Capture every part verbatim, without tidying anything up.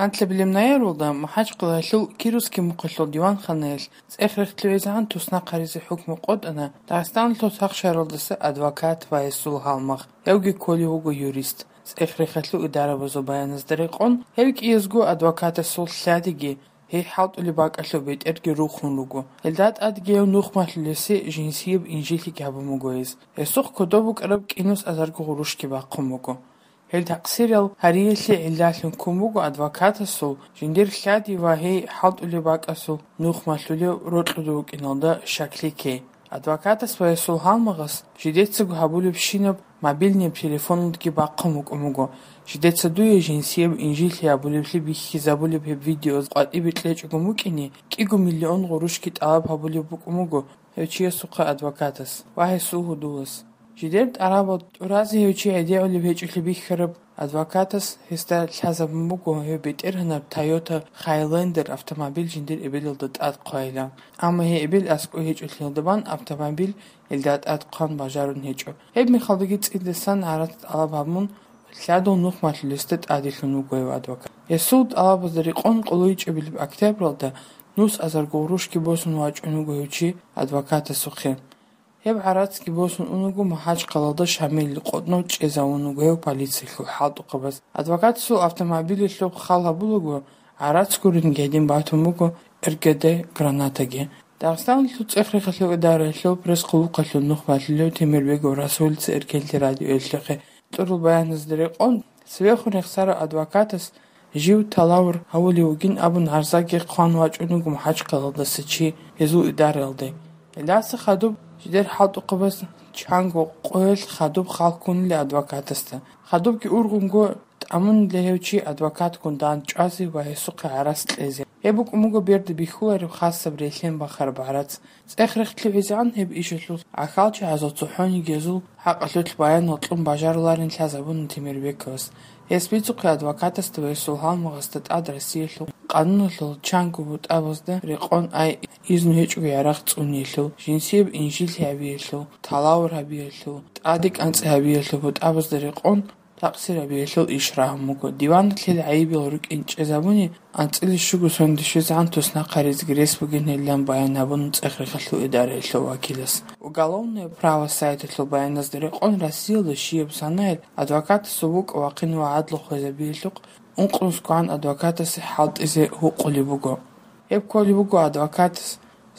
Анлъабилеб ноябралда МахӀачкъалаялъул Кировский мухъалъул диванханаялъ цӀех-рехтӀлъи гӀезегӀан туснахъ гьаризе хӀукму къотӀана Дагъистаналъул сахшаралдаса адвокат ва гьесул гьалмагъ, гьевги кколев вуго юрист. ЦӀех-рехалъул идарабазул баяназда рекъон, гьев кӀиязго адвокатасул лъадиги, гьей хӀалтӀулеб бакӀалъул бетӀерги рухун руго. Гьелда тӀадги гьев нухмалъулесе жинсияб инжиллъиги гьабун буго гьез. Гьесухъ кодоб букӀараб кӀинус азарго гъурущги бахъун буго. Гьел такъсирал гьариялъе гӀиллалъун ккун буго адвокатасул жиндир лъади ва гьей хӀалтӀулеб бакӀасул нухмалъулев рокьулев вукӀиналда щаклъи ккей. Адвокатас ва гьесул гьалмагъас жидецаго гьабулебщинаб мобильный телефоналдги бахъун букӀун буго. Жидеца дуе жинсияб инжиллъи гьабулеблъи бихьизабулеб гьеб видео къватӀибе кьечӀого букӀине, кӀиго миллион гъурущги тӀалаб гьабулеб букӀун буго гьев чиясухъе адвокатас ва гьесул гьудулас. Жидер тӀарабал тӀуразе гьев чи гӀедегӀулеб гьечӀолъи бихьараб адвокатас гьесда лъазабун буго гьев бетӀергьанаб Toyota Highlander автомобиль жиндир эбелалда тӀад хъвайилан. Амма гьей эбел аскӀов гьечӀолъиялда бан автомобиль гьелда тӀад хъван бажарун гьечӀо. Гьеб мехалдаги цӀидасан гӀарац тӀалаб гьабун, лъадул нухмалъулесда тӀаделъун вуго гьев адвокат. Гьесул тӀалабазда рекъон къулайчӀебилеб октябралда нус азарго гъурущги босун вачӀун вуго гьев чи адвокатасухъе. Гьеб гӀарацги босун унаго, МахӀачкъалалда Шамилил къотӀнов чӀезавун вуго гьев полициялъул хӀалтӀухъабаз. Адвокатасул автомобилалъухъ хал гьабулаго, гӀарац гуринги гьедин батун буго РГД гранатаги. Дагъистаналъул цӀех-рехалъул идараялъул пресс-къулухъалъул нухмалъулев Темирбегов Расулица Эркенлъи радиоялъухъе кьурал баяназда рекъон, цевехун рехсарав адвокатас жив талавр гьавулев вугин абун гӀарзаги хъван вачӀун вуго МахӀачкъалалдаса чи гьезул идараялде. Гьелдаса хадуб жидер хӀалтӀухъабаз чанго къоялъ хадуб хал ккунила адвокатасда. Хадубги ургъунго тӀамунила гьев чи адвокатгун дандчӀвазе ва гьесухъе гӀарац кьезе. Гьеб букӀун буго берда бихьулареб хасаб релълъен бахараб гӀарац. ЦӀех-рехтӀлъи гӀезегӀан гьеб ишалъул гӀахьалчагӀазул цохӀониги гьезул хӀакъалъулъ баянал кьун бажаруларин лъазабуна Темирбековас. Гьес бицухъе адвокатасда ва гьесул гьалмагъасда тӀад Россиялъул къануналъул чанго бутӀабазда рекъон ай изну гьечӀого ярагъ цӀуниялъул, жинсияб инжиллъи гьабиялъул, талавр гьабиялъул, тӀаде кӀанцӀи гьабиялъул бутӀабазда рекъон такъсир гьабиялъул иш рагьун буго. Диваналъ гьел гӀайибал рукӀин чӀезабуни, анцӀила щуго сондашизегӀан туснахъ гьаризеги рес бугин гьелилан баян гьабуна цӀех-рехалъул идараялъул вакилас. Уголовное право сайталъул баяназда рекъон, Россиялда щибаб санаялъ адвокатасул букӀа-вахъин ва гӀадлу хвезабиялъухъ ункънусгоан адвокатасе хӀалтӀизе гьукъулеб буго. Гьеб кколеб буго адвокатас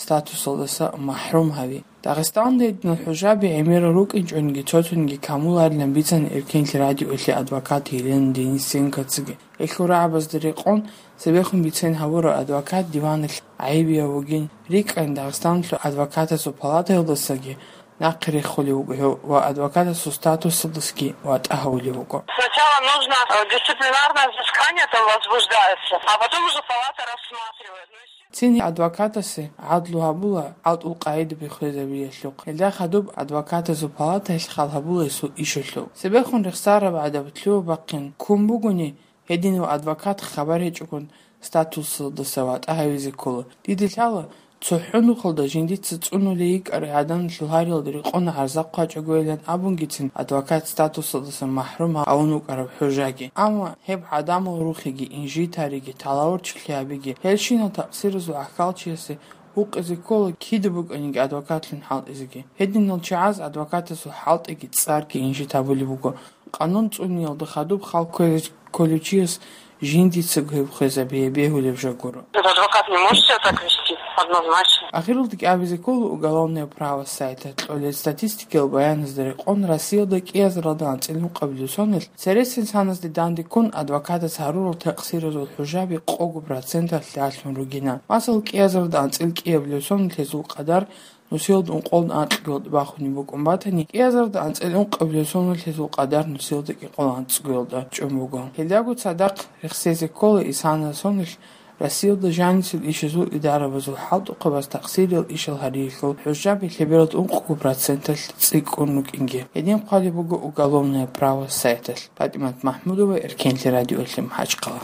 статусалдаса махӀрум гьави. Дагъистанда гьединал хӀужаби гӀемерал рукӀинчӀониги цо-цониги камуларилан бицана Эркенлъи радиоялъе адвокат Елена Денисенкоцаги. Гьелъул рагӀабазда рекъон, цебехун бицен гьавурав адвокат диваналъ гӀайибияв вугин, рикӀкӀан Дагъистаналъул адвокатасул палатаялдасаги нахъе рехулев вуго гьев ва адвокатасул статусалдасаги ватӀа гьавулев вуго. Сначала нужно, э, дисциплинарное взыскание там возбуждается, а потом уже палата рассматривает. Ну, естественно. Цин адвокатасе гӀадлу гьабула гӀалтӀул къагӀидаби хвезабиялъухъ. Гьелда хадуб адвокатазул палатаялъ хал гьабула гьесул ишалъул. Цебехун рехсараб гӀадаб лъугьа-бахъин ккун бугони, гьединав адвокат хабар гьечӀогун статусалдаса ватӀа гьавизе ккола. Дида лъала, цохӀо нухалда жиндица цӀунулей йикӀарай гӀаданалъул гьариялда рекъон гӀарза хъвачӀогойилан абунгицин адвокат статусалдаса махӀрум гьавун вукӀараб хӀужаги. Амма гьеб гӀадамал рухиги, инжитариги, талавурчилъи гьабиги, гьелщинал такъсиразул гӀахьалчиясе гьукъизе ккола кида букӀаниги адвокатлъун хӀалтӀизеги. Гьединал чагӀаз адвокатасул хӀалтӀиги цӀарги инжит гьабулеб буго. Къанун цӀуниялда хадуб хал кквезе кколев чияс жиндицаго гьеб хвезабие бегьулеб жо гуро. Этот адвокат не может себя так вести, однозначно. Ахиралдаги абизе ккола уголовное право сайта кьолел статистикиял баяназда рекъон, Россиялда кӀиазаралда анцӀил ункъабилеб соналъ цересел саназде данде ккун адвокатас гьарурал такъсиразул хӀужаби къого проценталъ лъалъун ругина. Масал, кӀиазаралда анцӀил кӀиабилеб соналъ гьезул къадар нусиялда ункъолда анкьгоялда бахунеб букӀун батани, кӀиазарда анцӀил ункъабилеб соналъ гьезул къадар нусиялда кӀикъоялда анцӀгоялда чӀун буго. Гьелдаго цадахъ рехсезе ккола исанал соналъ Россиялда жанисел ишазул идарабазул хӀалтӀухъабаз такъсириял ишал гьариялъул хӀужаби лъебералда ункъго проценталъ цӀикӀкӀун рукӀинги. Гьедин хъвалеб буго уголовное право сайталъ. ПатӀимат МахӀмудова, Эркенлъи радиоялъе МахӀачхъала.